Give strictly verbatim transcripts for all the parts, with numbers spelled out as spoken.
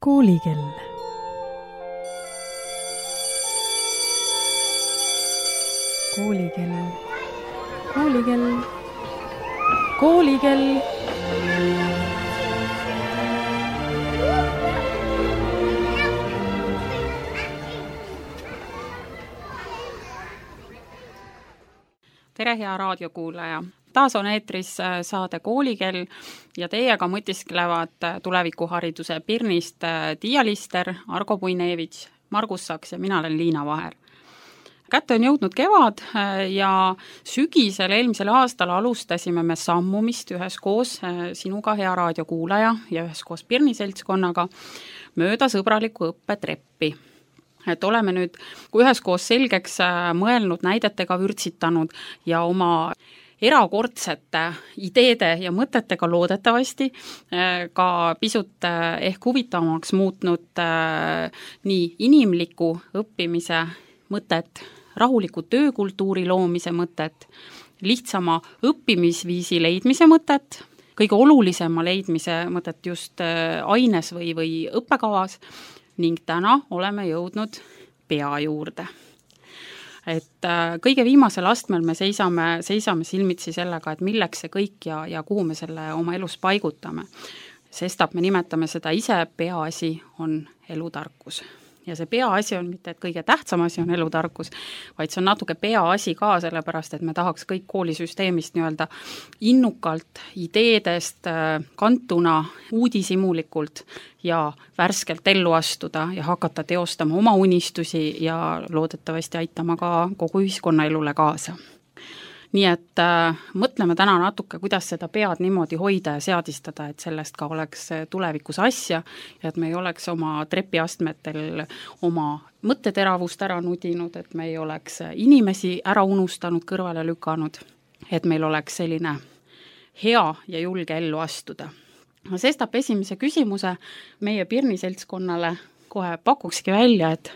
Koolikell. Koolikell. Koolikell. Koolikell. Tere, hea raadiokuulaja! Taas on eetris saade Koolikell ja teiega mõtisklevad tulevikuhariduse Pirnist Tiia Lister, Argo Puinevitš, Margus Saks ja mina olen Liina Vaher. Kätte on jõudnud kevad ja sügisel eelmisel aastal alustasime me sammumist üheskoos sinuga, hea raadiokuulaja, ja üheskoos Pirni seltskonnaga mööda sõbraliku õppetreppi. Et oleme nüüd üheskoos selgeks mõelnud, näidetega vürtsitanud ja oma erakordsete ideede ja mõtetega loodetavasti ka pisut ehk huvitavamaks muutnud nii inimliku õppimise mõtet, rahuliku töökultuuri loomise mõtet, lihtsama õppimisviisi leidmise mõtet, kõige olulisema leidmise mõtet just aines või, või õppekavas ning täna oleme jõudnud pea juurde. Et kõige viimasel astmel me seisame, seisame silmitsi sellega, et milleks see kõik ja, ja kuhu me selle oma elus paigutame. Sestap me nimetame seda ise peaasi on elutarkus. Ja see peaasi on mitte, et kõige tähtsam asi on elutarkus, vaid see on natuke peaasi ka, sellepärast, et me tahaks kõik koolisüsteemist nii-öelda innukalt, ideedest kantuna, uudishimulikult ja värskelt ellu astuda ja hakata teostama oma unistusi ja loodetavasti aitama ka kogu ühiskonnaelule kaasa. Nii et äh, mõtleme täna natuke, kuidas seda pead niimoodi hoida ja seadistada, et sellest ka oleks tulevikus asja ja et me ei oleks oma trepiastmetel oma mõtteteravust ära nudinud, et me ei oleks inimesi ära unustanud, kõrvale lükanud, et meil oleks selline hea ja julge ellu astuda. Sestap esimese küsimuse meie Pirni seltskonnale kohe pakukski välja, et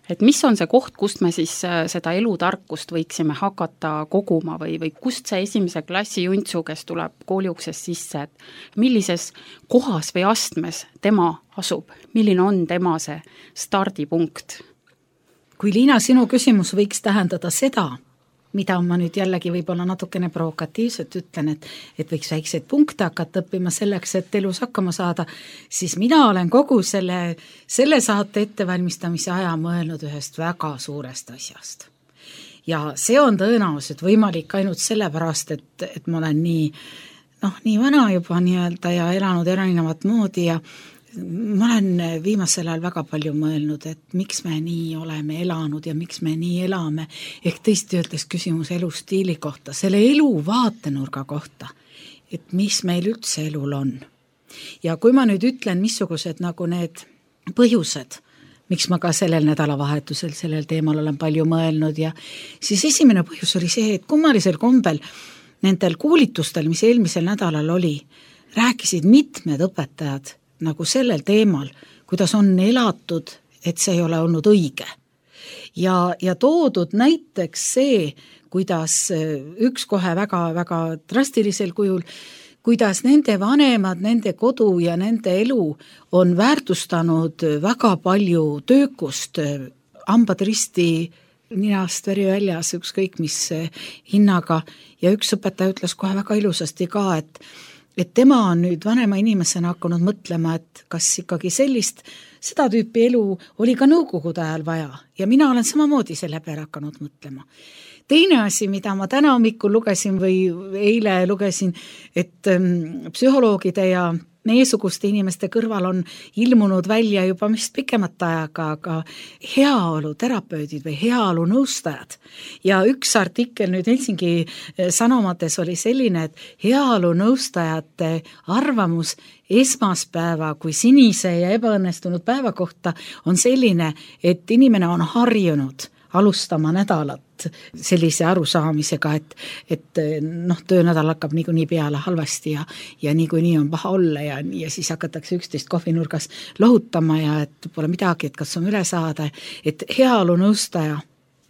Et mis on see koht, kust me siis seda elutarkust võiksime hakata koguma või, või kust see esimese klassi juntsu, kes tuleb kooliuksest sisse, et millises kohas või astmes tema asub, milline on tema see stardipunkt? Kui Liina, sinu küsimus võiks tähendada seda, mida ma nüüd jällegi võib-olla natukene provokatiivselt ütlen, et, et võiks väikseid punkte hakata õppima selleks, et elus hakkama saada, siis mina olen kogu selle, selle saate ettevalmistamise aja mõelnud ühest väga suurest asjast. Ja see on tõenäoliselt võimalik ainult sellepärast, et, et ma olen nii, noh, nii vana juba nii-öelda ja elanud erinevat moodi ja ma olen viimasel ajal väga palju mõelnud, et miks me nii oleme elanud ja miks me nii elame, ehk tõesti öeldes küsimus elustiili kohta, selle elu vaatenurga kohta, et mis meil üldse elul on. Ja kui ma nüüd ütlen, missugused nagu need põhjused, miks ma ka sellel nädalavahetusel sellel teemal olen palju mõelnud ja siis esimene põhjus oli see, et kummalisel kombel nendel koolitustel, mis eelmisel nädalal oli, rääkisid mitmed õpetajad nagu sellel teemal, kuidas on elatud, et see ei ole olnud õige. Ja, ja toodud näiteks see, kuidas üks kohe väga, väga drastilisel kujul, kuidas nende vanemad, nende kodu ja nende elu on väärtustanud väga palju töökust, hambad risti, ninast veri väljas, ükskõik mis hinnaga. Ja üks õpetaja ütles kohe väga ilusasti ka, et et tema on nüüd vanema inimesena hakanud mõtlema, et kas ikkagi sellist, seda tüüpi elu oli ka nõukogude ajal vaja ja mina olen samamoodi selle peale hakanud mõtlema. Teine asi, mida ma täna hommikul lugesin või eile lugesin, et ähm, psühholoogide ja meiesuguste inimeste kõrval on ilmunud välja juba mis pikemat ajaga, aga heaolu terapeudid või heaolu nõustajad. Ja üks artikkel nüüd Helsingi Sanomates oli selline, et heaolu nõustajate arvamus esmaspäeva kui sinise ja ebaõnnestunud päeva kohta on selline, et inimene on harjunud alustama nädalat sellise arusaamisega, et, et noh, töönädal hakkab niikuinii peale halvasti ja, ja niikuinii on paha olla ja, ja siis hakatakse üksteist kohvinurgas lohutama ja et pole midagi, et kas on üle saada, et heaolu nõustaja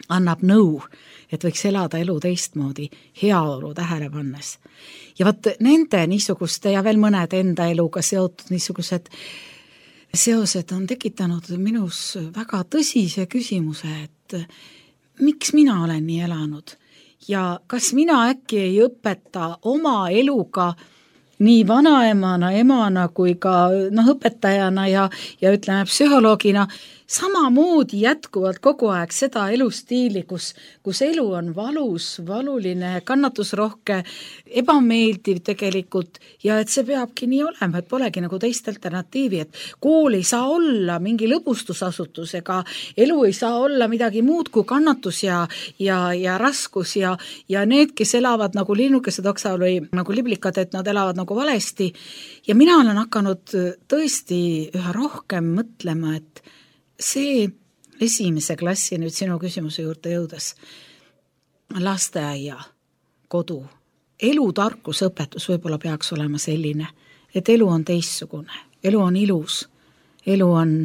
annab nõu, et võiks elada elu teistmoodi, heaolu tähele pannes. Ja vaat nende niisuguste ja veel mõned enda eluga seotud niisugused seosed on tekitanud minus väga tõsise küsimuse, et miks mina olen nii elanud ja kas mina äkki ei õpeta oma eluga nii vanaemana, emana kui ka noh, õpetajana ja, ja ütleme psühholoogina samamoodi jätkuvalt kogu aeg seda elustiili, kus, kus elu on valus, valuline, kannatusrohke, ebameeldiv tegelikult ja et see peabki nii olema, et polegi nagu teist alternatiivi, et kool ei saa olla mingi lõbustusasutus ega elu ei saa olla midagi muud kui kannatus ja, ja, ja raskus ja, ja need, kes elavad nagu linnukesed oksal või nagu liblikad, et nad elavad nagu valesti ja mina olen hakanud tõesti üha rohkem mõtlema, et see esimese klassi nüüd sinu küsimuse juurde jõudes, lasteaia, kodu, elutarkusõpetus võib-olla peaks olema selline, et elu on teistsugune, elu on ilus, elu on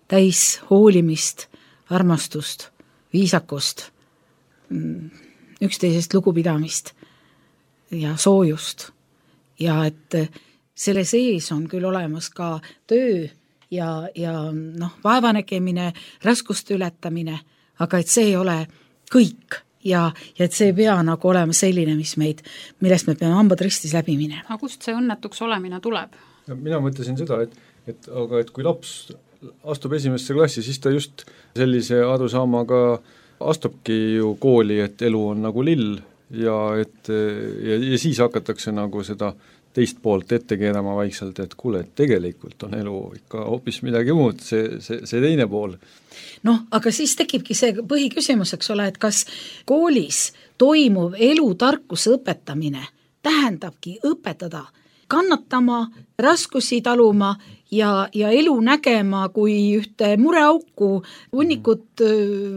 täis hoolimist, armastust, viisakust, üksteisest lugupidamist ja soojust ja et selle sees on küll olemas ka töö ja, ja noh, vaevanägemine, raskuste ületamine, aga et see ei ole kõik ja, ja et see ei pea nagu olema selline, mis meid, millest me peame hambad ristis läbi minema. Aga kust see õnnetuks olemine tuleb? Mina mõtlesin seda, et, et, aga et kui laps astub esimesse klassi, siis ta just sellise arusaamaga astubki ju kooli, et elu on nagu lill ja, et, ja, ja siis hakatakse nagu seda teist poolt ette keerama vaikselt, et kuule, et tegelikult on elu ikka hoopis midagi muud, see, see, see teine pool. Noh, aga siis tekibki see põhiküsimus, eks ole, et kas koolis toimuv elutarkuse õpetamine tähendabki õpetada kannatama, raskusi taluma ja, ja elu nägema kui ühte mureauku, hunnikut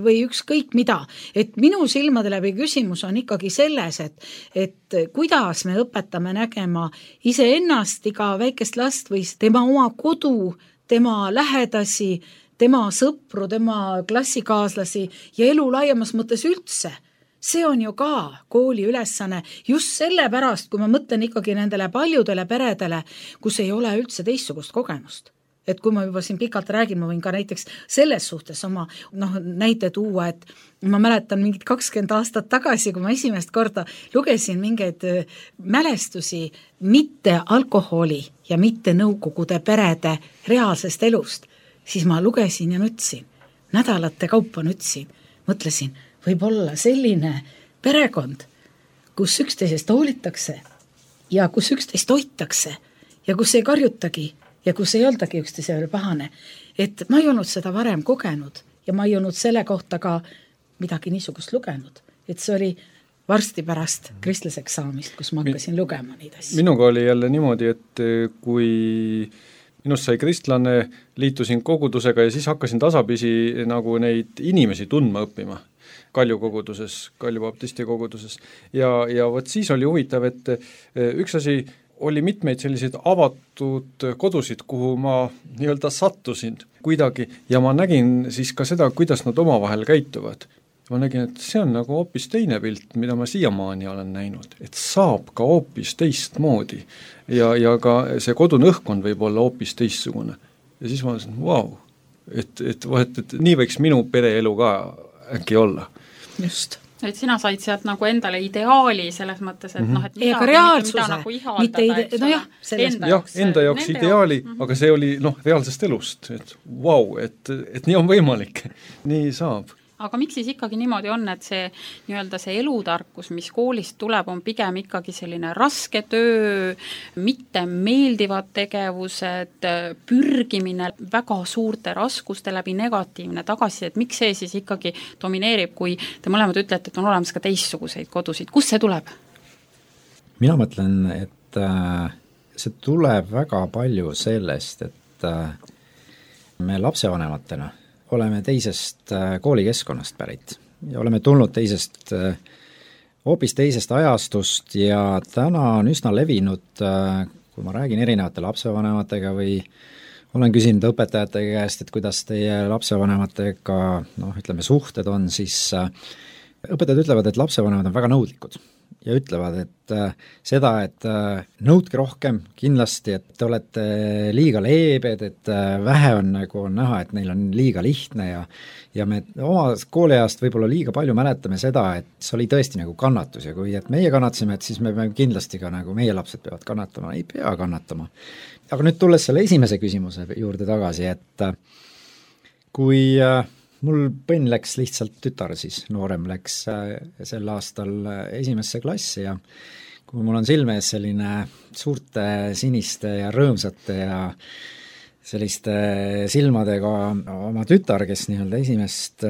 või ükskõik mida. Et minu silmade läbi küsimus on ikkagi selles, et, et kuidas me õpetame nägema iseennast, iga väikest last või tema oma kodu, tema lähedasi, tema sõpru, tema klassikaaslasi ja elu laiemas mõttes üldse. See on ju ka kooli ülesanne just sellepärast, kui ma mõtlen ikkagi nendele paljudele peredele, kus ei ole üldse teistsugust kogemust. Et kui ma juba siin pikalt räägin, ma võin ka näiteks selles suhtes oma noh, näite tuua, et ma mäletan mingid kakskümmend aastat tagasi, kui ma esimest korda lugesin mingeid mälestusi mitte alkoholi ja mitte nõukogude perede reaalsest elust, siis ma lugesin ja nutsin, nädalate kaupa nutsin, mõtlesin, võib olla selline perekond, kus üksteisest hoolitakse ja kus üksteist hoitakse ja kus ei karjutagi ja kus ei oldagi üksteisele pahane. Et ma ei olnud seda varem kogenud ja ma ei olnud selle kohta ka midagi niisugust lugenud. Et see oli varsti pärast kristlaseks saamist, kus ma hakkasin lugema neid asju. Minuga oli jälle niimoodi, et kui minust sai kristlane, liitusin kogudusega ja siis hakkasin tasapisi nagu neid inimesi tundma õppima. Kalju koguduses, Kalju baptisti koguduses ja, ja võt siis oli huvitav, et üks asi oli mitmeid selliseid avatud kodusid, kuhu ma nii-öelda sattusin kuidagi ja ma nägin siis ka seda, kuidas nad omavahel käituvad. Ma nägin, et see on nagu hoopis teine pilt, mida ma siiamaani olen näinud, et saab ka hoopis teistmoodi ja, ja ka see kodune õhkkond võib olla hoopis teistsugune. Ja siis ma mõtlesin, vau, et, et, et, et nii võiks minu pereelu ka äkki olla. Just. Et sina said sealt nagu endale ideaali selles mõttes, et mm -hmm. noh, et midagi, mida, reaalsuse, mida nagu ihaldada, ide- eks no ole, jah, enda jah, enda jaoks ideaali, jaoks. Aga see oli noh, reaalsest elust, et vau, wow, et, et nii on võimalik, nii saab. Aga miks siis ikkagi niimoodi on, et see nii-öelda see elutarkus, mis koolist tuleb, on pigem ikkagi selline raske töö, mitte meeldivad tegevused, pürgimine väga suurte raskuste läbi, negatiivne tagasiside, et miks see siis ikkagi domineerib, kui te mõlemad ütlete, et on olemas ka teistsuguseid kodusid. Kust see tuleb? Mina mõtlen, et see tuleb väga palju sellest, et me lapsevanematena oleme teisest koolikeskkonnast pärit ja oleme tulnud teisest, hoopis teisest ajastust ja täna on üsna levinud, kui ma räägin erinevate lapsevanematega või olen küsinud õpetajate käest, et kuidas teie lapsevanematega, noh, ütleme, suhted on, siis õpetajad ütlevad, et lapsevanemad on väga nõudlikud ja ütlevad, et äh, seda, et äh, nõudke rohkem kindlasti, et te olete liiga leebed, et äh, vähe on nagu on näha, et neil on liiga lihtne ja ja me oma kooliajast võib-olla liiga palju mäletame seda, et see oli tõesti nagu kannatus ja kui et meie kannatasime, et siis me peame kindlasti ka nagu meie lapsed peavad kannatama, ei pea kannatama. Aga nüüd tulles selle esimese küsimuse juurde tagasi, et äh, kui äh, mul põnn läks lihtsalt tütar siis, noorem läks sel aastal esimesse klassi ja kui mul on silme ees selline suurte siniste ja rõõmsate ja selliste silmadega oma tütar, kes nii-öelda esimest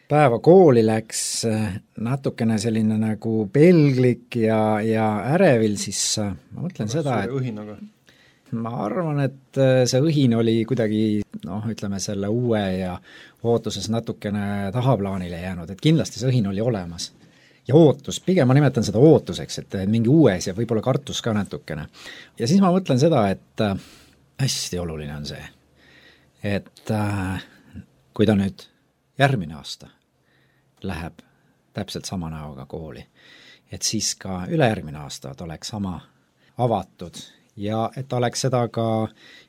päeva kooli läks, natukene selline nagu pelglik ja, ja ärevil, siis ma mõtlen seda, et õhinaga. ma arvan, et see õhin oli kuidagi noh, ütleme selle uue ja ootuses natukene tahaplaanile jäänud, et kindlasti see õhin oli olemas. Ja ootus, pigem ma nimetan seda ootuseks, et mingi uues ja võib-olla kartus ka natukene. Ja siis ma mõtlen seda, et hästi oluline on see, et kui ta nüüd järgmine aasta läheb täpselt sama näoga kooli, et siis ka ülejärgmine aasta ta oleks sama avatud ja et ta oleks seda ka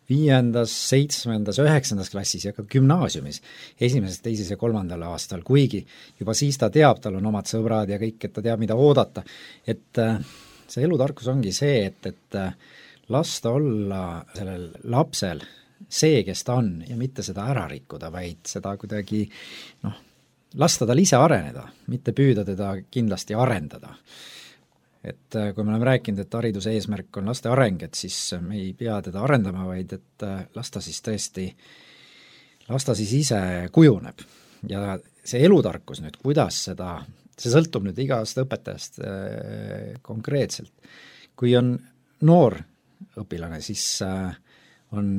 viiendas, seitsmendas, üheksandas klassis ja ka gümnaasiumis esimeses, teises ja kolmandal aastal, kuigi juba siis ta teab, tal on omad sõbrad ja kõik, et ta teab, mida oodata. Et see elutarkus ongi see, et, et lasta olla sellel lapsel see, kes ta on ja mitte seda ära rikkuda, vaid seda kuidagi noh, lasta tal ise areneda, mitte püüda teda kindlasti arendada. Et kui me oleme rääkinud, et hariduse eesmärk on laste areng, et siis me ei pea teda arendama, vaid et lasta siis tõesti, lasta siis ise kujuneb. Ja see elutarkus nüüd, kuidas seda, see sõltub nüüd igast õpetajast konkreetselt. Kui on noor õpilane, siis on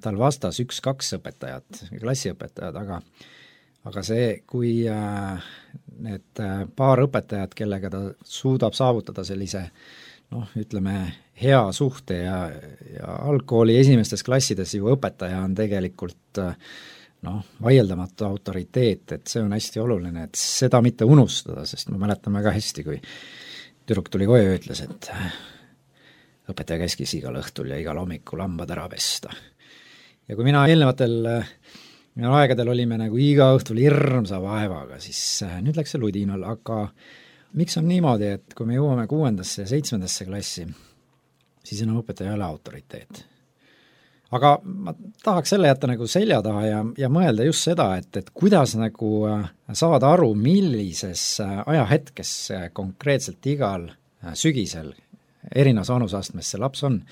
tal vastas üks-kaks õpetajat, klassiõpetajad, aga aga see, kui need paar õpetajat, kellega ta suudab saavutada sellise noh, ütleme, hea suhte ja, ja algkooli esimestes klassides ju õpetaja on tegelikult noh, vaieldamatu autoriteet, et see on hästi oluline, et seda mitte unustada, sest ma mäletan väga hästi, kui tüdruk tuli koju ja ütles, et õpetaja käskis igal õhtul ja igal hommikul hambad ära pesta. Ja kui mina eelnevatel Minu aegadel olime nagu iga õhtul hirmsa vaevaga, siis nüüd läks see ludinal, aga miks on niimoodi, et kui me jõuame kuuendasse ja seitsmendasse klassi, siis enam õpetaja ei ole autoriteet. Aga ma tahaks selle jätta nagu selja taha ja, ja mõelda just seda, et, et kuidas nagu saada aru, millises ajahetkes konkreetselt igal sügisel erinevas vanusastmes see laps on,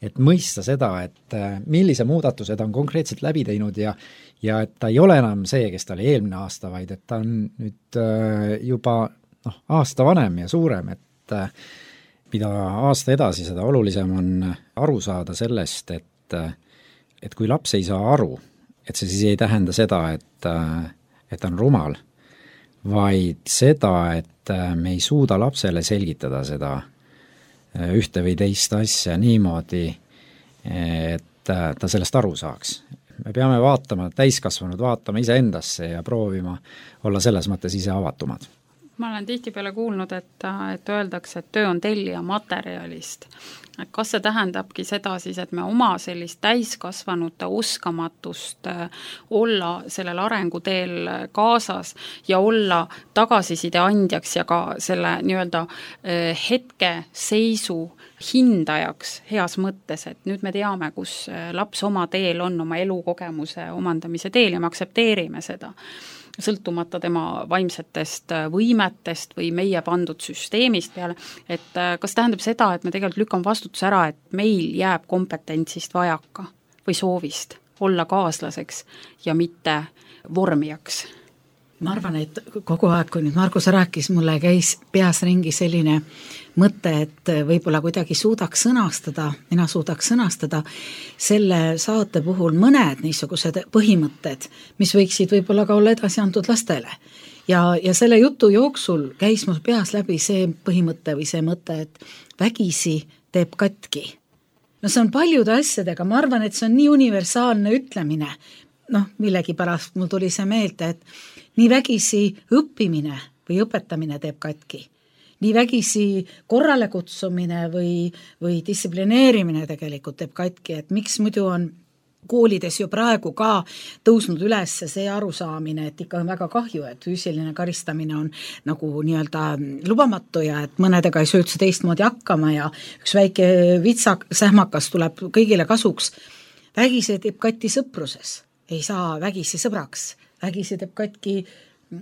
et mõista seda, et millise muudatuse ta on konkreetselt läbi teinud ja ja et ta ei ole enam see, kes ta oli eelmine aasta, vaid et ta on nüüd juba noh, aasta vanem ja suurem, et mida aasta edasi, seda olulisem on aru saada sellest, et, et kui laps ei saa aru, et see siis ei tähenda seda, et, et ta on rumal, vaid seda, et me ei suuda lapsele selgitada seda ühte või teist asja niimoodi, et ta sellest aru saaks. Me peame vaatama, täiskasvanud vaatama iseendasse ja proovima olla selles mõttes ise avatumad. Ma olen tihtipeale kuulnud, et, et öeldakse, et töö on tellija materjalist. Et kas see tähendabki seda siis, et me oma sellist täiskasvanute oskamatust olla sellel arenguteel kaasas ja olla tagasiside andjaks ja ka selle nii-öelda hetke seisu hindajaks heas mõttes, et nüüd me teame, kus laps oma teel on, oma elukogemuse omandamise teel ja me aktsepteerime seda, sõltumata tema vaimsetest võimetest või meie pandud süsteemist peale, et kas tähendab seda, et me tegelikult lükkame vastutuse ära, et meil jääb kompetentsist vajaka või soovist olla kaaslaseks ja mitte vormijaks? Ma arvan, et kogu aeg, kui nüüd Margus rääkis, mulle käis peas ringi selline mõte, et võib-olla kuidagi suudaks sõnastada, mina suudaks sõnastada selle saate puhul mõned niisugused põhimõtted, mis võiksid võib-olla ka olla edasi antud lastele. Ja, ja selle jutu jooksul käis mul peas läbi see põhimõte või see mõte, et vägisi teeb katki. No see on paljude asjadega, ma arvan, et see on nii universaalne ütlemine, noh, millegi pärast mul tuli see meelde, et nii vägisi õppimine või õpetamine teeb katki. nii vägisi korrale kutsumine või, või distsiplineerimine tegelikult teeb katki, et miks muidu on koolides ju praegu ka tõusnud üles see arusaamine, et ikka on väga kahju, et füüsiline karistamine on nagu nii-öelda lubamatu ja et mõnedega ei söö üldse teistmoodi hakkama ja üks väike vitsak, sähmakas tuleb kõigile kasuks. Vägisi teeb katki sõpruses, ei saa vägisi sõbraks, vägisi teeb katki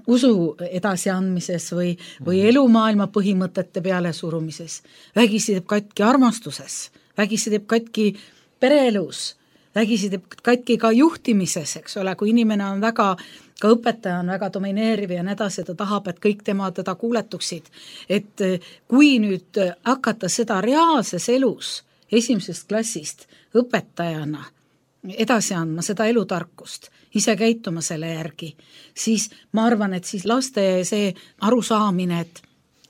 usu edasiandmises või, või elumaailma põhimõtete peale surumises, vägisi teeb katki armastuses, vägisi teeb katki pereelus, vägisi teeb katki ka juhtimises, eks ole, kui inimene on väga, ka õpetaja on väga domineeriv ja nii edasi, ta tahab, et kõik tema teda kuuletuksid. Et kui nüüd hakata seda reaalses elus esimesest klassist õpetajana edasi andma seda elutarkust, ise käituma selle järgi, siis ma arvan, et siis laste see arusaamine, et,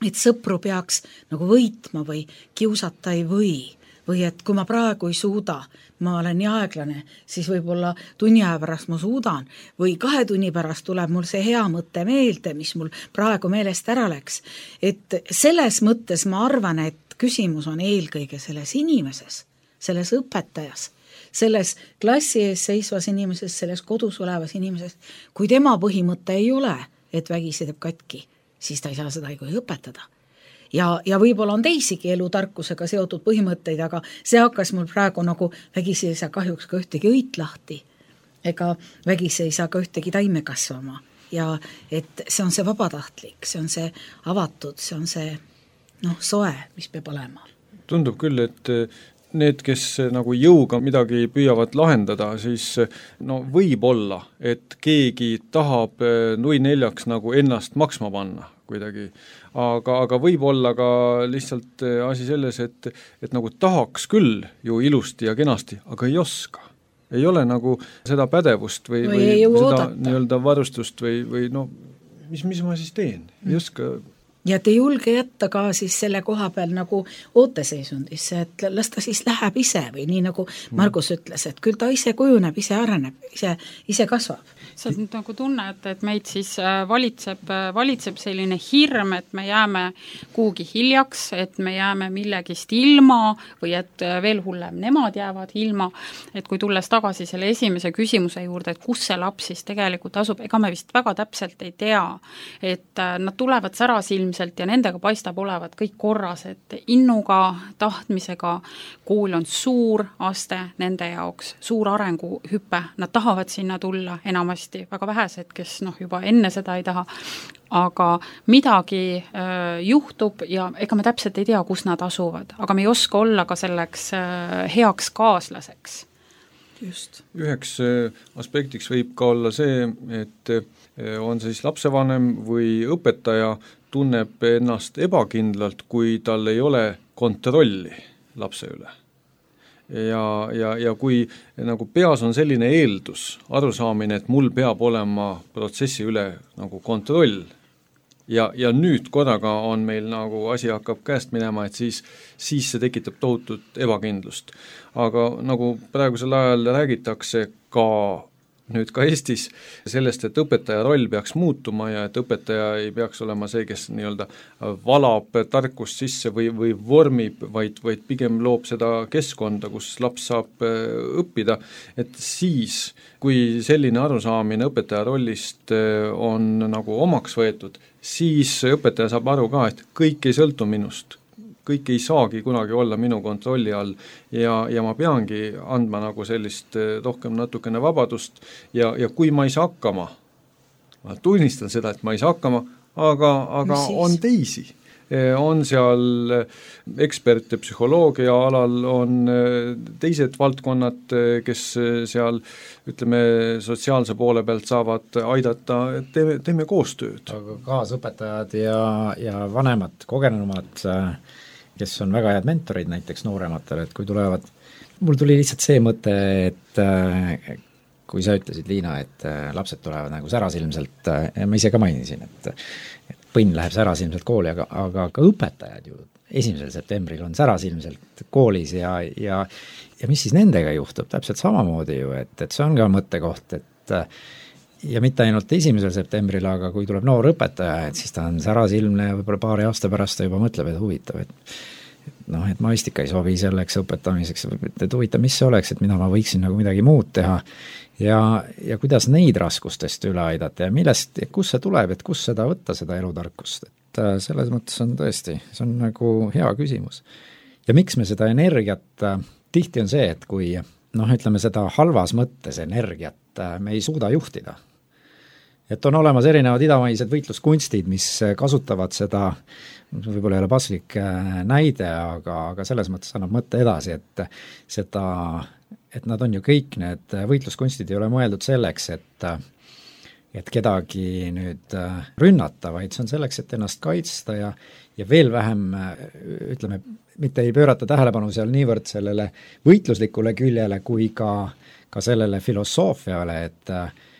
et sõpru peaks nagu võitma või kiusata ei või, või et kui ma praegu ei suuda, ma olen nii aeglane, siis võib-olla tunni aja pärast ma suudan või kahe tunni pärast tuleb mul see hea mõte meelde, mis mul praegu meelest ära läks. Et selles mõttes ma arvan, et küsimus on eelkõige selles inimeses, selles õpetajas, selles klassi ees seisvas inimeses, selles kodus olevas inimeses. Kui tema põhimõte ei ole, et vägisi teeb katki, siis ta ei saa seda ei õpetada. Ja, ja võib-olla on teisigi elutarkusega seotud põhimõtteid, aga see hakkas mul praegu nagu vägisi ei saa kahjuks ka ühtegi õit lahti, ega vägisi ei saa ka ühtegi taime kasvama ja et see on see vabatahtlik, see on see avatud, see on see noh, soe, mis peab olema. Tundub küll, et need, kes nagu jõuga midagi püüavad lahendada, siis no võib olla, et keegi tahab nui neljaks nagu ennast maksma panna kuidagi, aga, aga võib olla ka lihtsalt asi selles, et, et nagu tahaks küll ju ilusti ja kenasti, aga ei oska. Ei ole nagu seda pädevust või, või, või seda oodata. Nii-öelda varustust või, või no mis, mis ma siis teen, ei mm. oska. Ja te julge jätta ka siis selle koha peal nagu ooteseisundisse, et las ta siis läheb ise või nii nagu Margus ütles, et küll ta ise kujuneb, ise areneb, ise, ise kasvab. Sa nüüd nagu tunned, et meid siis valitseb, valitseb selline hirm, et me jääme kuhugi hiljaks, et me jääme millegist ilma või et veel hullem, nemad jäävad ilma, et kui tulles tagasi selle esimese küsimuse juurde, et kus see laps siis tegelikult asub, ega me vist väga täpselt ei tea, et nad tulevad särasilmselt ja nendega paistab olevat kõik korras, et innuga, tahtmisega kool on suur aste nende jaoks, suur arenguhüpe, nad tahavad sinna tulla enamasti, väga vähesed, kes noh, juba enne seda ei taha, aga midagi äh, juhtub ja ega me täpselt ei tea, kus nad asuvad, aga me ei oska olla ka selleks äh, heaks kaaslaseks. Just. Üheks aspektiks võib ka olla see, et on siis lapsevanem või õpetaja tunneb ennast ebakindlalt, kui tal ei ole kontrolli lapse üle. Ja, ja, ja kui nagu peas on selline eeldus, arusaamine, et mul peab olema protsessi üle nagu kontroll ja, ja nüüd korraga on meil nagu asi hakkab käest minema, et siis, siis see tekitab tohutut ebakindlust. Aga nagu praegusel ajal räägitakse ka nüüd ka Eestis sellest, et õpetaja roll peaks muutuma ja et õpetaja ei peaks olema see, kes nii-öelda valab tarkust sisse või, või vormib, vaid, vaid pigem loob seda keskkonda, kus laps saab õppida, et siis, kui selline arusaamine õpetaja rollist on nagu omaks võetud, siis õpetaja saab aru ka, et kõik ei sõltu minust. Kõik ei saagi kunagi olla minu kontrolli all ja, ja ma peangi andma nagu sellist rohkem natukene vabadust ja, ja kui ma ei saa hakkama, ma tunnistan seda, et ma ei saa hakkama, aga, aga on teisi. On seal eksperte psühholoogia alal, on teised valdkonnad, kes seal ütleme sotsiaalse poole pealt saavad aidata, teeme, teeme koostööd. Aga kaasõpetajad ja, ja vanemad, kogenumad kes on väga head mentorid näiteks noorematele, et kui tulevad, mul tuli lihtsalt see mõte, et kui sa ütlesid, Liina, et lapsed tulevad nagu särasilmselt, ma ise ka mainisin, et, et põnn läheb särasilmselt kooli, aga, aga ka õpetajad ju esimesel septembril on särasilmselt koolis ja, ja, ja mis siis nendega juhtub, täpselt samamoodi ju, et, et see on ka mõttekoht, et ja mitte ainult esimesel septembril, aga kui tuleb noor õpetaja, et siis ta on särasilmne ja võib-olla paari aasta pärast ta juba mõtleb, et huvitav, et et noh, et maistika ei sobi selleks õpetamiseks, et huvitav, mis see oleks, et mida ma võiksin nagu midagi muud teha ja, ja kuidas neid raskustest üle aidata ja millest, kus see tuleb, et kus seda võtta, seda elutarkust, et selles mõttes on tõesti, see on nagu hea küsimus. Ja miks me seda energiat, tihti on see, et kui noh, ütleme seda halvas mõttes energiat me ei suuda juhtida, et on olemas erinevad idamaised võitluskunstid, mis kasutavad seda, võib-olla ei ole paslik näide, aga, aga selles mõttes annab mõtte edasi, et seda, et nad on ju kõik, need võitluskunstid ei ole mõeldud selleks, et et kedagi nüüd rünnata, vaid see on selleks, et ennast kaitsta ja, ja veel vähem, ütleme, mitte ei pöörata tähelepanu seal niivõrd sellele võitluslikule küljele kui ka, ka sellele filosoofiale, et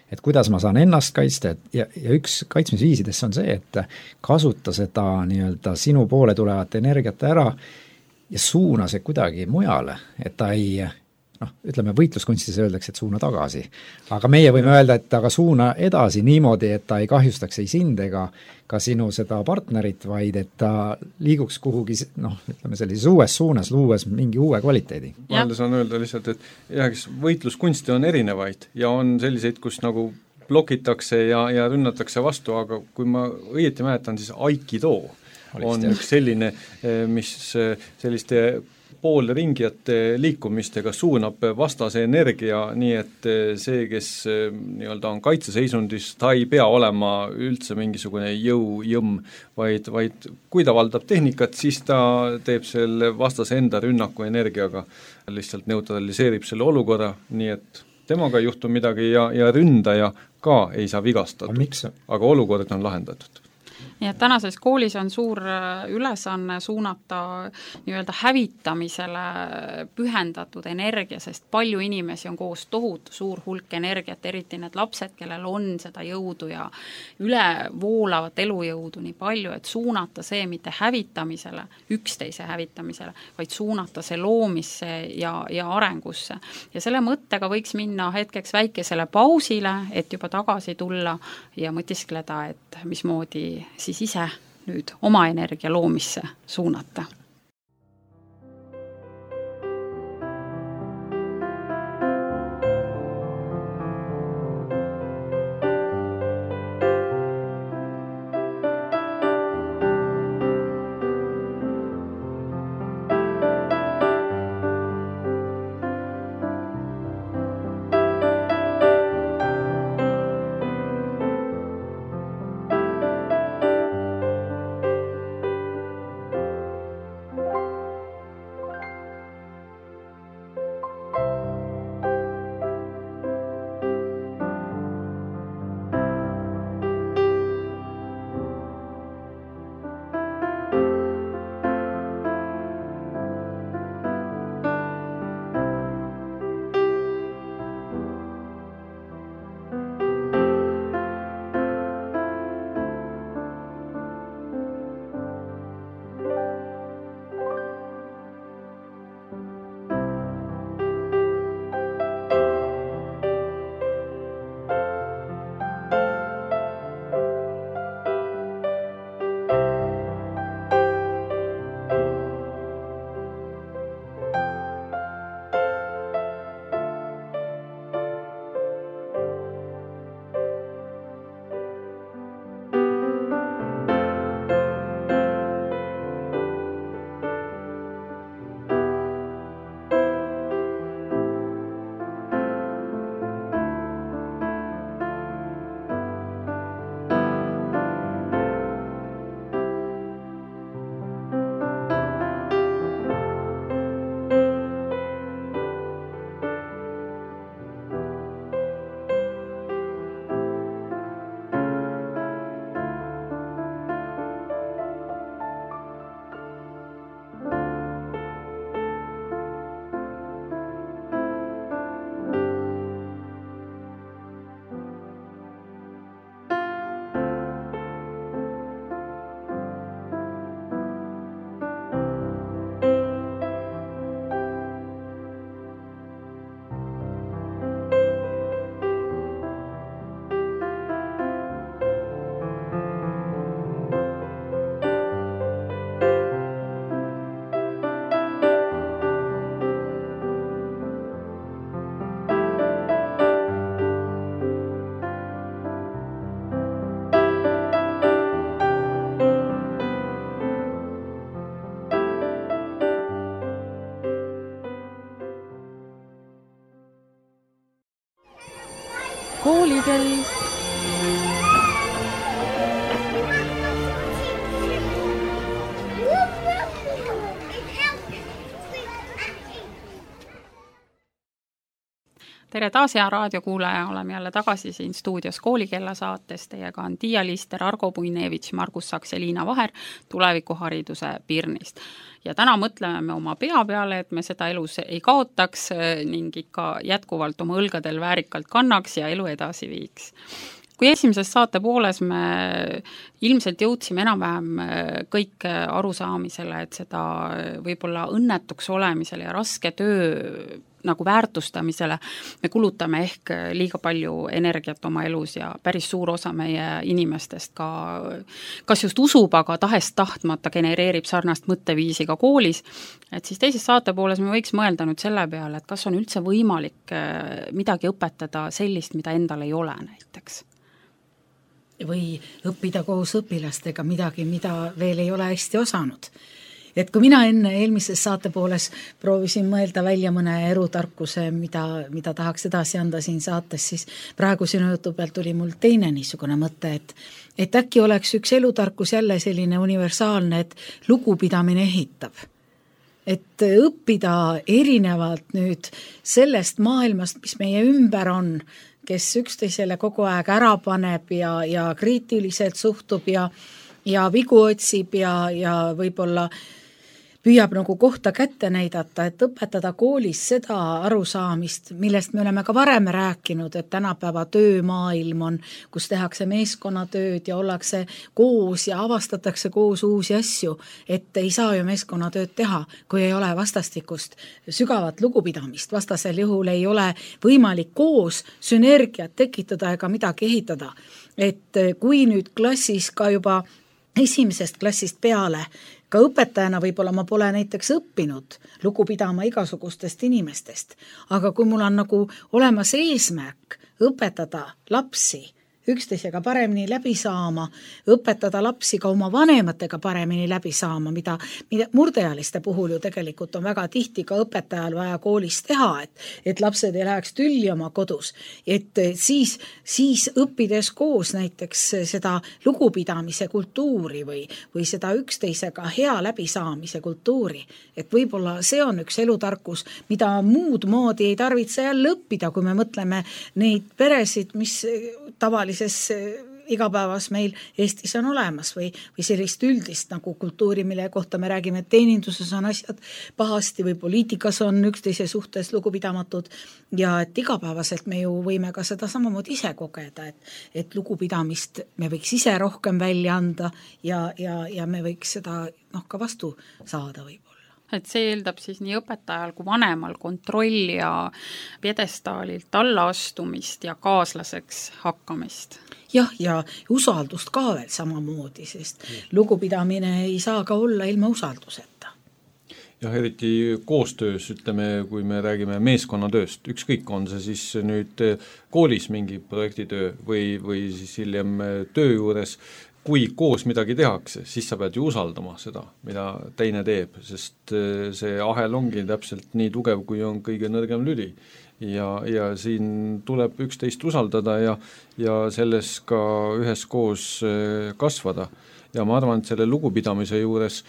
et kuidas ma saan ennast kaitsta, et ja, ja üks kaitsmisviisidest on see, et kasuta seda nii-öelda sinu poole tulevat energiat ära ja suuna see kuidagi mujale, et ta ei, noh, ütleme võitluskunstis öeldakse, et suuna tagasi. Aga meie võime öelda, et aga suuna edasi niimoodi, et ta ei kahjustaks ei sind ega ka sinu seda partnerit, vaid et ta liiguks kuhugi, noh, ütleme sellises uues suunas, luues mingi uue kvaliteedi. Vahel saan öelda lihtsalt, et jah, kes võitluskunste on erinevaid ja on selliseid, kus nagu blokitakse ja, ja rünnatakse vastu, aga kui ma õieti mäletan, siis Aikido on üks selline, mis selliste poolringijate liikumistega suunab vastase energia, nii et see, kes nii-öelda on kaitseseisundis, ta ei pea olema üldse mingisugune jõujõmm, vaid, vaid kui ta valdab tehnikat, siis ta teeb selle vastase enda rünnaku energiaga, lihtsalt neutraliseerib selle olukorra, nii et temaga ei juhtu midagi ja, ja ründaja ka ei saa vigastatud, aga olukord on lahendatud. Nii et tänases koolis on suur ülesanne suunata nii-öelda hävitamisele pühendatud energia, sest palju inimesi on koos tohutu suur hulk energiat, eriti need lapsed, kellel on seda jõudu ja ülevoolavat elujõudu nii palju, et suunata see mitte hävitamisele, üksteise hävitamisele, vaid suunata see loomisse ja, ja arengusse. Ja selle mõttega võiks minna hetkeks väikesele pausile, et juba tagasi tulla ja mõtiskleda, et mismoodi siis ise nüüd oma energia loomisse suunata. Koolikell. tere taas, hea raadiokuulaja, oleme jälle tagasi siin stuudios Koolikella saates. Teiega on Tiia Lister, Argo Puinevitš, Margus Saks ja Liina Vaher tulevikuhariduse Pirnist. Ja täna mõtleme me oma pea peale, et me seda elus ei kaotaks ning ikka jätkuvalt oma õlgadel väärikalt kannaks ja elu edasi viiks. Kui esimeses saate pooles me ilmselt jõudsime enam-vähem kõik arusaamisele, et seda võib-olla õnnetuks olemisele ja raske töö nagu väärtustamisele me kulutame ehk liiga palju energiat oma elus ja päris suur osa meie inimestest ka kas just usub, aga tahest tahtmata genereerib sarnast mõtteviisi ka koolis, et siis teises saate pooles me võiks mõelda nüüd selle peale, et kas on üldse võimalik midagi õpetada sellist, mida endal ei ole näiteks. Või õppida koos õpilastega midagi, mida veel ei ole hästi osanud. Et kui mina enne eelmises saate pooles proovisin mõelda välja mõne erutarkuse, mida, mida tahaks edasi anda siin saates, siis praegu sinu jutu pealt tuli mul teine niisugune mõte, et, et äkki oleks üks elutarkus jälle selline universaalne, et lugupidamine ehitab. Et õppida erinevalt nüüd sellest maailmast, mis meie ümber on, kes üksteisele kogu aeg ära paneb ja, ja kriitiliselt suhtub ja, ja vigu otsib ja, ja võib-olla püüab nagu kohta kätte näidata, et õpetada koolis seda arusaamist, millest me oleme ka varem rääkinud, et tänapäeva töömaailm on, kus tehakse meeskonnatööd ja ollakse koos ja avastatakse koos uusi asju, et ei saa ju meeskonnatööd teha, kui ei ole vastastikust sügavat lugupidamist. Vastasel juhul ei ole võimalik koos sünergiat tekitada ega midagi ehitada. Et kui nüüd klassis ka juba esimesest klassist peale ka õpetajana võib-olla ma pole näiteks õppinud lugu pidama igasugustest inimestest, aga kui mul on nagu olemas eesmärk õpetada lapsi üksteisega paremini läbi saama, õpetada lapsi ka oma vanematega paremini läbi saama, mida, mida murdealiste puhul ju tegelikult on väga tihti ka õpetajal vaja koolis teha, et, et lapsed ei läheks tülli oma kodus. Et siis, siis õppides koos näiteks seda lugupidamise kultuuri või, või seda üksteisega hea läbisaamise kultuuri, et võib-olla see on üks elutarkus, mida muud moodi ei tarvitse jälle õppida, kui me mõtleme neid peresid, mis tavaliselt igapäevas meil Eestis on olemas või, või sellist üldist nagu kultuuri, mille kohta me räägime, et teeninduses on asjad pahasti või poliitikas on üksteise suhtes lugupidamatud ja et igapäevaselt me ju võime ka seda samamoodi ise kogeda, et, et lugupidamist me võiks ise rohkem välja anda ja, ja, ja me võiks seda noh, ka vastu saada võib. Et see eeldab siis nii õpetajal kui vanemal kontrolli ja pjedestaalilt allaastumist ja kaaslaseks hakkamist. Jah, ja usaldust ka veel samamoodi, sest lugupidamine ei saa ka olla ilma usalduseta. Jah, eriti koostöös, ütleme, kui me räägime meeskonnatööst, ükskõik on see siis nüüd koolis mingi projektitöö või, või siis hiljem töö juures, kui koos midagi tehakse, siis sa pead ju usaldama seda, mida teine teeb, sest see ahel ongi täpselt nii tugev, kui on kõige nõrgem lüli. Ja, ja siin tuleb üksteist usaldada ja, ja selles ka üheskoos kasvada. Ja ma arvan, et selle lugupidamise juures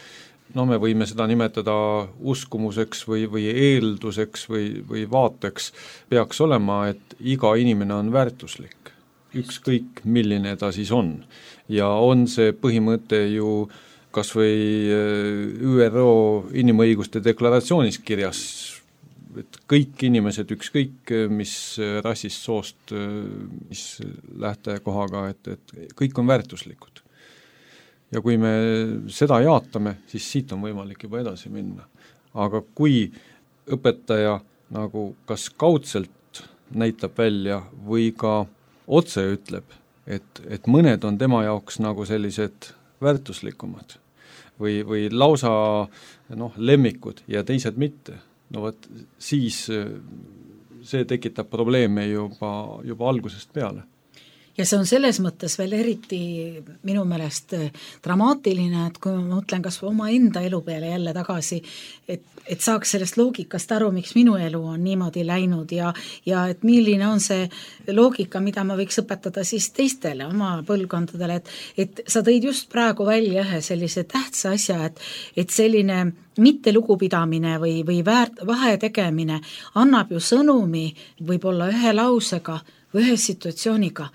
no me võime seda nimetada uskumuseks või, või eelduseks või, või vaateks, peaks olema, et iga inimene on väärtuslik. Ükskõik, milline ta siis on. Ja on see põhimõte ju kas või Ü R O inimõiguste deklaratsioonis kirjas, et kõik inimesed, ükskõik mis rassist, soost, mis lähtekohaga, et, et kõik on väärtuslikud. Ja kui me seda jaatame, siis siit on võimalik juba edasi minna. Aga kui õpetaja nagu kas kaudselt näitab välja või ka otse ütleb, et, et mõned on tema jaoks nagu sellised väärtuslikumad või, või lausa noh, lemmikud ja teised mitte, no võt, siis see tekitab probleeme juba, juba algusest peale. ja see on selles mõttes veel eriti minu meelest dramaatiline, et kui ma mõtlen kas või oma enda elu peale jälle tagasi, et, et saaks sellest loogikast aru, miks minu elu on niimoodi läinud ja, ja et milline on see loogika, mida ma võiks õpetada siis teistele, oma põlvkondadele, et, et sa tõid just praegu välja ühe sellise tähtsa asja, et, et selline mitte lugupidamine või, või väärt, vahe tegemine annab ju sõnumi võib-olla ühe lausega või ühe situatsiooniga,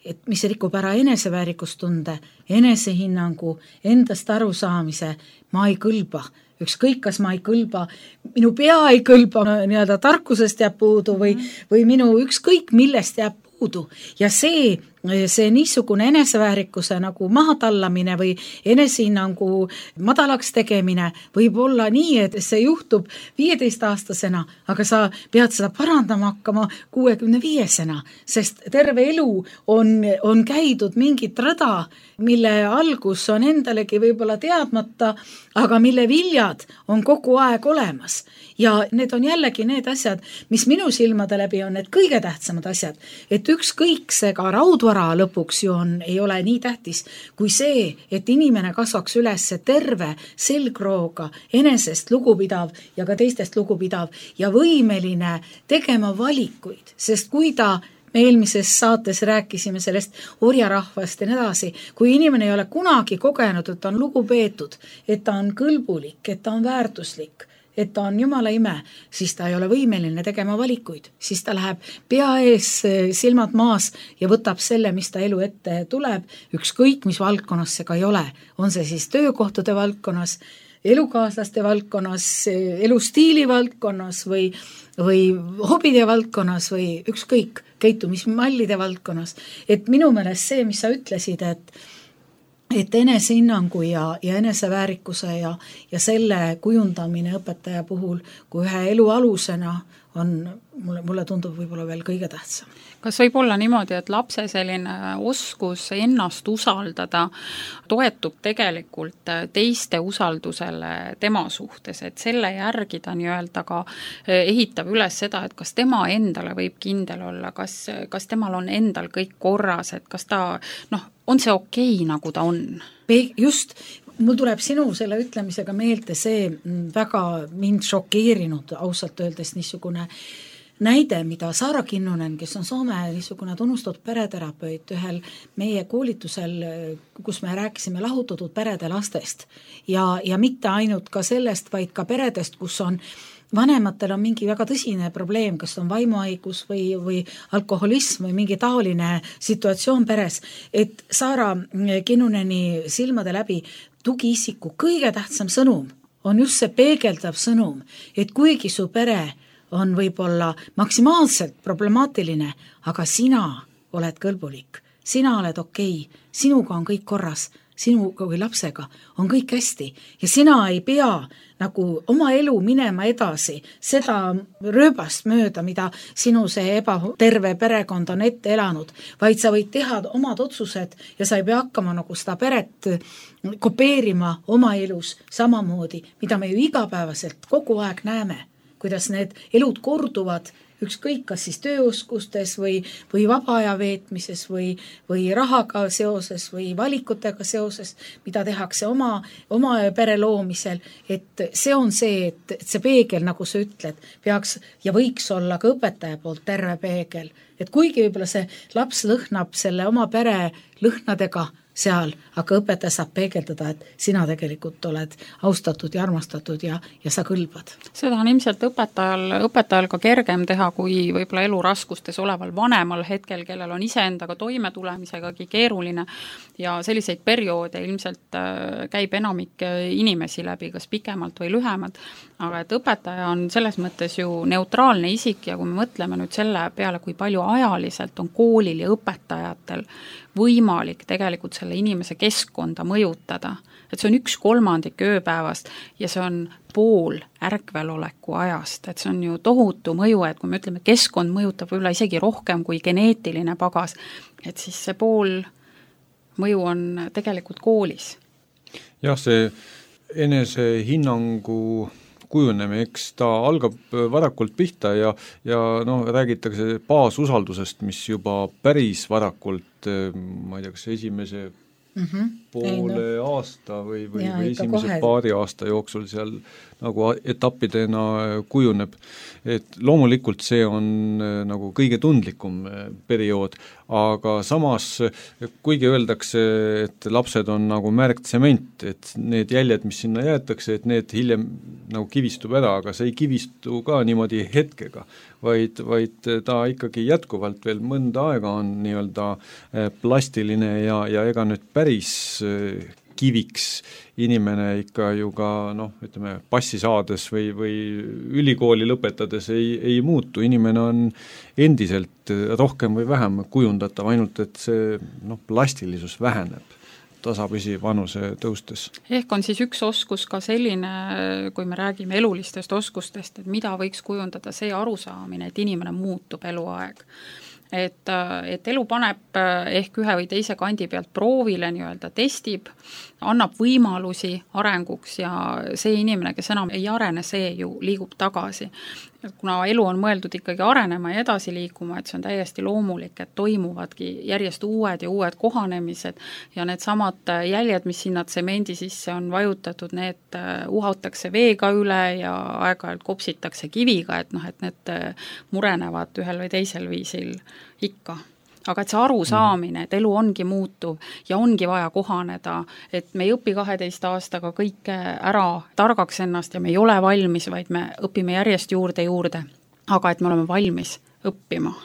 et mis rikub ära eneseväärikustunde, enesehinnangu, endast arusaamise, ma ei kõlba. Ükskõik, kas ma ei kõlba, minu pea ei kõlba, nii-öelda tarkusest jääb puudu või, või minu ükskõik millest jääb puudu. Ja see, see niisugune eneseväärikuse nagu mahatallamine või enesehinnangu madalaks tegemine võib olla nii, et see juhtub viieteistaastasena, aga sa pead seda parandama hakkama kuuekümne viiesena, sest terve elu on, on käidud mingit rada, mille algus on endalegi võib-olla teadmata, aga mille viljad on kogu aeg olemas. Ja need on jällegi need asjad, mis minu silmade läbi on need kõige tähtsamad asjad, et ükskõik see ka raudvara lõpuks ju on, ei ole nii tähtis, kui see, et inimene kasvaks üles terve selgrooga, enesest lugupidav ja ka teistest lugupidav ja võimeline tegema valikuid, sest kui ta me eelmises saates rääkisime sellest orjarahvast ja nii edasi, kui inimene ei ole kunagi kogenud, et ta on lugupeetud, et ta on kõlbulik, et ta on väärtuslik, et ta on jumala ime, siis ta ei ole võimeline tegema valikuid, siis ta läheb pea ees, silmad maas ja võtab selle, mis ta elu ette tuleb, ükskõik mis valdkonnas see ka ei ole, on see siis töökohtade valdkonnas, elukaaslaste valdkonnas, elustiili valdkonnas või, või hobide valdkonnas või ükskõik käitumismallide valdkonnas. Et minu meelest see, mis sa ütlesid, et et enesehinnangu ja, ja eneseväärikuse ja, ja selle kujundamine õpetaja puhul kui ühe elu alusena on, mulle, mulle tundub võib-olla veel kõige tähtsam. Kas võib olla niimoodi, et lapse selline oskus ennast usaldada toetub tegelikult teiste usaldusele tema suhtes, et selle järgi ta nii-öelda ka ehitab üles seda, et kas tema endale võib kindel olla, kas, kas temal on endal kõik korras, et kas ta, noh, on see okei, nagu ta on? Just, mul tuleb sinu selle ütlemisega meelde see väga mind šokeerinud ausalt öeldes niisugune näide, mida Saara Kinnunen, kes on Soome niisugune tunnustatud pereterapeut ühel meie koolitusel, kus me rääkisime lahutatud perede lastest ja, ja mitte ainult ka sellest, vaid ka peredest, kus on vanematel on mingi väga tõsine probleem, kas on vaimuhaigus või, või alkoholism või mingi taoline situatsioon peres, et Saara Kinnuneni silmade läbi tugiisiku kõige tähtsam sõnum on just see peegeldav sõnum, et kuigi su pere on võib-olla maksimaalselt problemaatiline, aga sina oled kõlbulik, sina oled okei, sinuga on kõik korras, sinuga või lapsega on kõik hästi ja sina ei pea nagu oma elu minema edasi seda rööbast mööda, mida sinu see ebaterve perekond on ette elanud, vaid sa võid teha omad otsused ja sa ei pea hakkama nagu seda peret kopeerima oma elus samamoodi, mida me ju igapäevaselt kogu aeg näeme, kuidas need elud korduvad, ükskõik kas siis tööoskustes või, või vaba aja veetmises või, või rahaga seoses või valikutega seoses, mida tehakse oma, oma pere loomisel, et see on see, et, et see peegel, nagu sa ütled, peaks ja võiks olla ka õpetaja poolt terve peegel, et kuigi võib-olla see laps lõhnab selle oma pere lõhnadega seal, aga õpetaja saab peegeldada, et sina tegelikult oled austatud ja armastatud ja, ja sa kõlbad. Seda on ilmselt õpetajal, õpetajal ka kergem teha, kui võib-olla elu raskustes oleval vanemal hetkel, kellel on iseendaga toimetulemisegagi keeruline ja selliseid perioode ilmselt käib enamik inimesi läbi, kas pikemalt või lühemalt, aga et õpetaja on selles mõttes ju neutraalne isik ja kui me mõtleme nüüd selle peale, kui palju ajaliselt on koolil ja õpetajatel võimalik tegelikult selle inimese keskkonda mõjutada, et see on üks kolmandik ööpäevast ja see on pool ärkveloleku ajast, et see on ju tohutu mõju, et kui me ütleme, keskkond mõjutab võib-olla isegi rohkem kui geneetiline pagas, et siis see pool mõju on tegelikult koolis. jah, see enesehinnangu kujunemine, eks ta algab varakult pihta ja, ja noh, räägitakse baasusaldusest, mis juba päris varakult, ma ei tea, kas esimese mm-hmm. poole ei, no. aasta või, või, või esimese kohe. paari aasta jooksul seal nagu etappidena kujuneb. Et loomulikult see on nagu kõige tundlikum periood, aga samas kuigi öeldakse, et lapsed on nagu märgtsement, et need jäljed, mis sinna jäetakse, et need hiljem nagu kivistub ära, aga see ei kivistu ka niimoodi hetkega, vaid, vaid ta ikkagi jätkuvalt veel mõnda aega on nii-öelda plastiline ja, ja ega nüüd päris kiviks inimene ikka ju ka noh, ütleme passi saades või, või ülikooli lõpetades ei, ei muutu, inimene on endiselt rohkem või vähem kujundatav, ainult et see noh, plastilisus väheneb tasapisi vanuse tõustes. Ehk on siis üks oskus ka selline, kui me räägime elulistest oskustest, et mida võiks kujundada see arusaamine, et inimene muutub eluaeg. Et, et elu paneb ehk ühe või teise kandi pealt proovile, nii-öelda testib, annab võimalusi arenguks ja see inimene, kes enam ei arene, see ju liigub tagasi. Kuna elu on mõeldud ikkagi arenema ja edasi liikuma, et see on täiesti loomulik, et toimuvadki järjest uued ja uued kohanemised ja need samad jäljed, mis sinna tsemendi sisse on vajutatud, need uhatakse veega üle ja aeg-ajalt kopsitakse kiviga, et noh, et need murenevad ühel või teisel viisil ikka. Aga et see arusaamine, et elu ongi muutuv ja ongi vaja kohaneda, et me ei õpi kaheteist aastaga kõike ära targaks ennast ja me ei ole valmis, vaid me õpime järjest juurde juurde, aga et me oleme valmis õppima.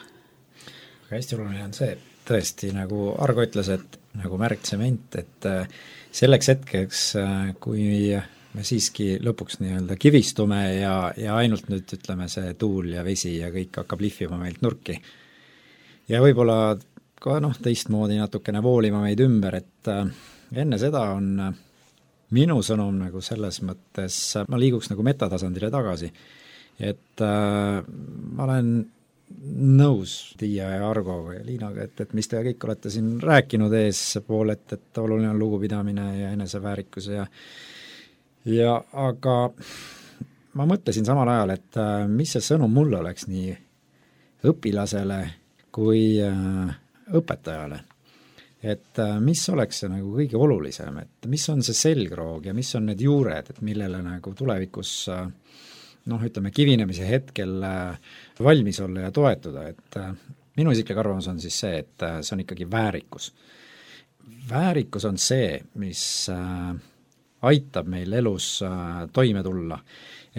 Aga hästi oluline on see, et tõesti, nagu Argo ütles, et nagu märgtsement, et selleks hetkeks, kui me siiski lõpuks nii-öelda kivistume ja, ja ainult nüüd ütleme see tuul ja vesi ja kõik hakkab lihvima meilt nurki, ja võib-olla ka noh, teistmoodi natukene voolima meid ümber, et enne seda on minu sõnum nagu selles mõttes, ma liiguks nagu metatasandile tagasi, et äh, ma olen nõus Tiia ja Argo ja Liinaga, et, et mis te kõik olete siin rääkinud ees pool, et, et oluline on lugupidamine ja eneseväärikus ja ja aga ma mõtlesin samal ajal, et äh, mis see sõnum mulle oleks nii õpilasele kui äh, õpetajale. Et äh, mis oleks see nagu kõige olulisem, et mis on see selgroog ja mis on need juured, et millele nagu tulevikus äh, noh, ütleme kivinemise hetkel äh, valmis olla ja toetuda, et äh, minu isiklik arvamus on siis see, et äh, see on ikkagi väärikus. Väärikus on see, mis äh, aitab meil elus äh, toime tulla.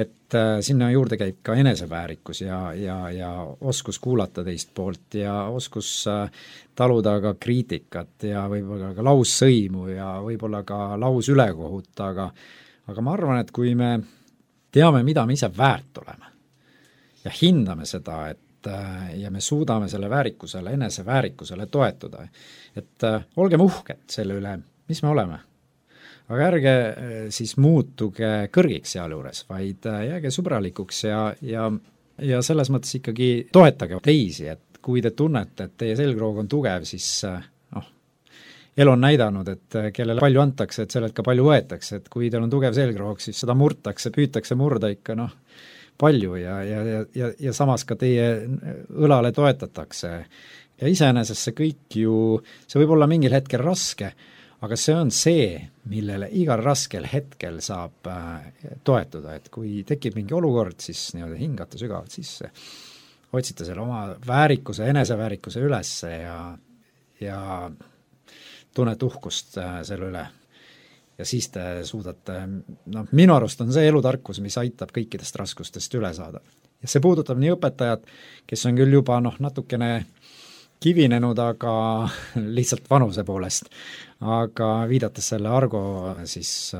Et äh, sinna juurde käib ka eneseväärikus ja, ja, ja oskus kuulata teist poolt ja oskus äh, taluda ka kriitikat ja võib-olla ka laussõimu ja võib-olla ka laus ülekohut, aga, aga ma arvan, et kui me teame, mida me ise väärt oleme ja hindame seda, et äh, ja me suudame selle väärikusele, eneseväärikusele toetuda, et äh, olgem uhked selle üle, mis me oleme. Aga ärge siis muutuge kõrgiks sealjuures, vaid jääge sõbralikuks ja, ja, ja selles mõttes ikkagi toetage teisi, et kui te tunnete, et teie selgroog on tugev, siis noh, elu on näidanud, et kellele palju antakse, et sellelt ka palju võetakse, et kui teil on tugev selgroog, siis seda murtakse, püütakse murda ikka noh, palju ja, ja, ja, ja samas ka teie õlale toetatakse. Ja iseenesest see kõik ju, see võib olla mingil hetkel raske, aga see on see, millele igal raskel hetkel saab äh, toetuda, et kui tekib mingi olukord, siis nii-öelda hingata sügavalt sisse, otsite selle oma väärikuse, eneseväärikuse üles ja, ja tunnete uhkust äh, selle üle. Ja siis te suudate, noh, minu arust on see elutarkus, mis aitab kõikidest raskustest üle saada. Ja see puudutab nii õpetajad, kes on küll juba noh, natukene kivinenud, aga lihtsalt vanuse poolest, aga viidates selle Argo siis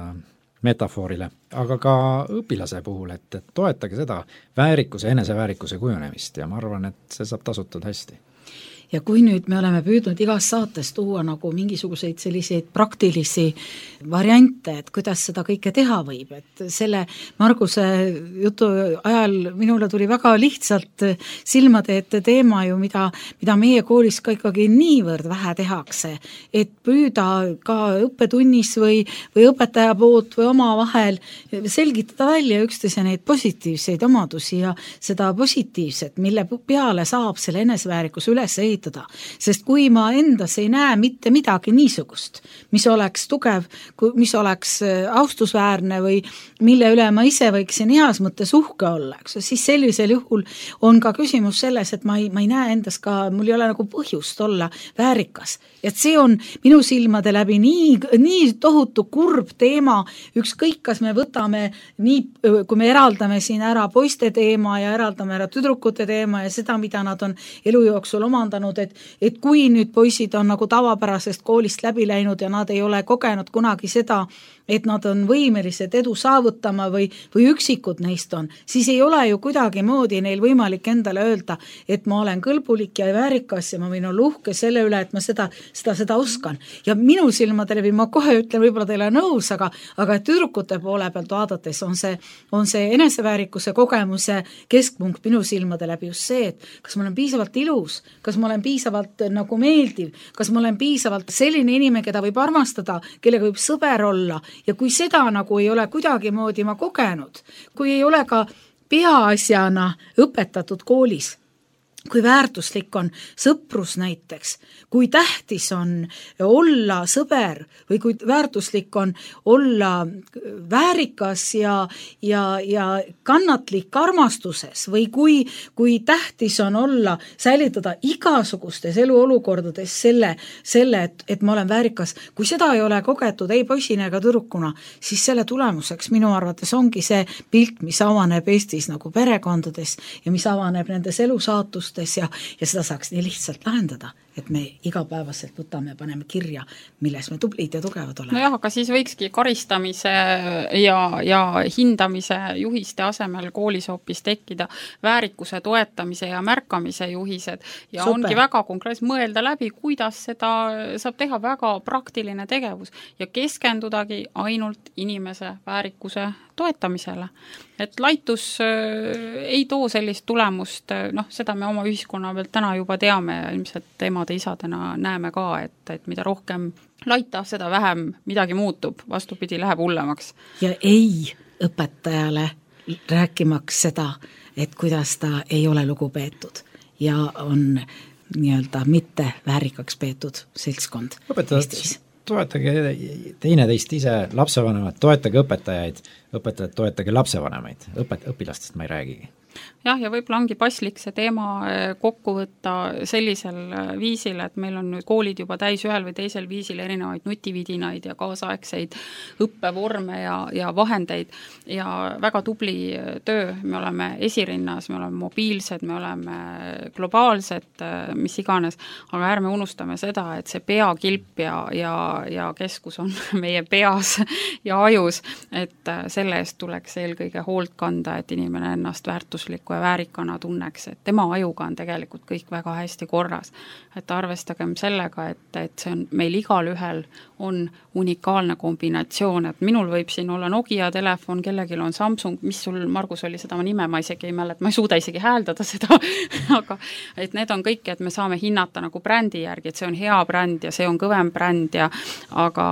metafoorile, aga ka õpilase puhul, et, et toetage seda väärikuse, eneseväärikuse kujunemist ja ma arvan, et see saab tasutud hästi. ja kui nüüd me oleme püüdnud igas saates tuua nagu mingisuguseid selliseid praktilisi variante, et kuidas seda kõike teha võib, et selle Marguse jutu ajal minule tuli väga lihtsalt silmade ette teema ju, mida, mida meie koolis ka ikkagi niivõrd vähe tehakse, et püüda ka õppetunnis või, või õpetaja poolt või oma vahel selgitada välja üksteise neid positiivseid omadusi ja seda positiivset, mille peale saab selle eneseväärikuse üles ehitada. Sest kui ma endas ei näe mitte midagi niisugust, mis oleks tugev, mis oleks austusväärne või mille üle ma ise võiksin heas mõttes uhke olla, eks, siis sellisel juhul on ka küsimus selles, et ma ei, ma ei näe endas ka, mul ei ole nagu põhjust olla väärikas. Et see on minu silmade läbi nii, nii tohutu kurb teema, ükskõik kas me võtame nii, kui me eraldame siin ära poiste teema ja eraldame ära tüdrukute teema ja seda, mida nad on elu jooksul omandanud, et, et kui nüüd poisid on nagu tavapärasest koolist läbi läinud ja nad ei ole kogenud kunagi seda, et nad on võimelised edu saavutama või, või üksikud neist on, siis ei ole ju kuidagi moodi neil võimalik endale öelda, et ma olen kõlbulik ja väärikas ja ma võin olla uhke selle üle, et ma seda, seda, seda oskan. Ja minu silmade läbi, ma kohe ütlen, võib-olla teile nõus, aga, aga tüdrukute poole pealt vaadates on see, on see eneseväärikuse kogemuse keskpunkt minu silmade läbi just see, et kas ma olen piisavalt ilus, kas ma olen piisavalt nagu meeldiv, kas ma olen piisavalt selline inimene, keda võib armastada, kellega võib sõber olla. Ja kui seda nagu ei ole kuidagi moodi ma kogenud, kui ei ole ka peaasjana õpetatud koolis, kui väärtuslik on sõprus näiteks, kui tähtis on olla sõber või kui väärtuslik on olla väärikas ja, ja, ja kannatlik armastuses või kui, kui tähtis on olla, säilitada igasugustes eluolukordades selle, selle et, et ma olen väärikas. Kui seda ei ole kogetud ei poisina ega tüdrukuna, siis selle tulemuseks minu arvates ongi see pilt, mis avaneb Eestis nagu perekondades ja mis avaneb nendes elusaatustes ja, ja seda saaks nii lihtsalt lahendada, et me igapäevaselt võtame ja paneme kirja, milles me tublid ja tugevad oleme. Nojah, aga siis võikski karistamise ja, ja hindamise juhiste asemel koolis hoopis tekkida väärikuse toetamise ja märkamise juhised ja Super. Ongi väga konkreetselt mõelda läbi, kuidas seda saab teha, väga praktiline tegevus ja keskendudagi ainult inimese väärikuse toetamisele. Et laitus äh, ei too sellist tulemust, noh, seda me oma ühiskonna pealt täna juba teame ja ilmselt emade isadena näeme ka, et, et mida rohkem laita, seda vähem midagi muutub, vastupidi, läheb hullemaks. Ja ei õpetajale rääkimaks seda, et kuidas ta ei ole lugupeetud ja on nii-öelda mitte väärikaks peetud seltskond Eestis. Toetage teine teist ise, lapsevanemad, toetage õpetajaid, õpetajad, toetage lapsevanemaid, õpet-, õpilastest ma ei räägigi. Jah, ja võib-olla ongi paslik see teema kokku võtta sellisel viisil, et meil on nüüd koolid juba täis ühel või teisel viisil erinevaid nutividinaid ja kaasaegseid õppevorme ja, ja vahendeid ja väga tubli töö, me oleme esirinnas, me oleme mobiilsed, me oleme globaalsed, mis iganes, aga ärme unustame seda, et see peakilp ja, ja, ja keskus on meie peas ja ajus, et selle eest tuleks eelkõige hoolt kanda, et inimene ennast väärtusliku ja väärikana tunneks, et tema ajuga on tegelikult kõik väga hästi korras. Et arvestagem sellega, et, et see on meil igal ühel on unikaalne kombinatsioon, et minul võib siin olla Nokia telefon, kellelgi on Samsung, mis sul, Margus, oli seda nime, ma isegi ei mäleta, ma ei suuda isegi hääldada seda, aga et need on kõik, et me saame hinnata nagu brändi järgi, et see on hea bränd ja see on kõvem bränd ja aga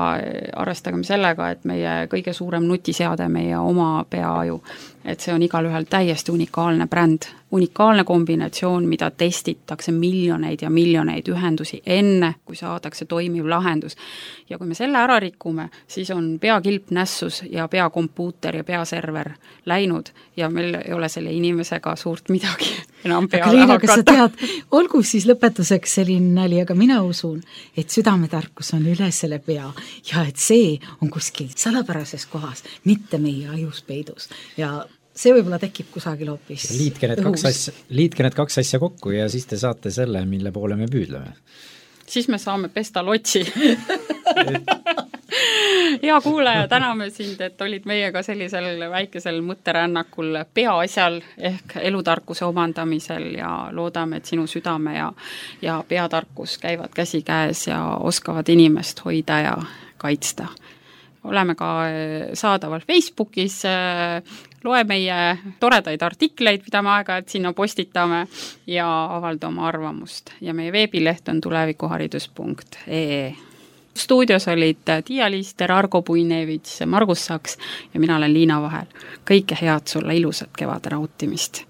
arvestagem sellega, et meie kõige suurem nutiseade, meie oma peaaju, et see on igal ühel täiesti unikaalne bränd, unikaalne kombinatsioon, mida testitakse miljoneid ja miljoneid ühendusi enne, kui saadakse toimiv lahendus. Ja kui me selle ära rikume, siis on peakilp nässus ja peakompuuter ja peaserver läinud ja meil ei ole selle inimesega suurt midagi enam peale Liina, hakata. Kas sa tead, olgu siis lõpetuseks selline nali, aga mina usun, et südametarkus on üle selle pea ja et see on kuskil salapärases kohas, mitte meie ajus peidus ja see võib-olla tekib kusagil hoopis liitke need, kaks asja, liitke need kaks asja kokku ja siis te saate selle, mille poole me püüdleme. Siis me saame pesta lotsi. hea kuulaja, täname sind, et olid meiega sellisel väikesel mõtterännakul peaasjal ehk elutarkuse omandamisel ja loodame, et sinu südame ja, ja peatarkus käivad käsikäes ja oskavad inimest hoida ja kaitsta. Oleme ka saadaval Facebookis, loe meie toredaid artikleid, mida me aega, et sinna postitame ja avalda oma arvamust. Ja meie veebileht on tulevikuharidus punkt ee. Stuudios olid Tiia Liister, Argo Puinevits, Margus Saks ja mina olen Liina Vahel. Kõike head sulle, ilusat kevade nautimist!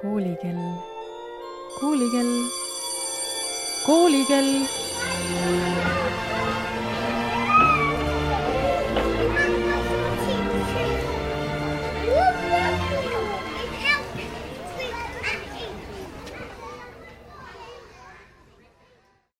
Koolikell, koolikell, koolikell.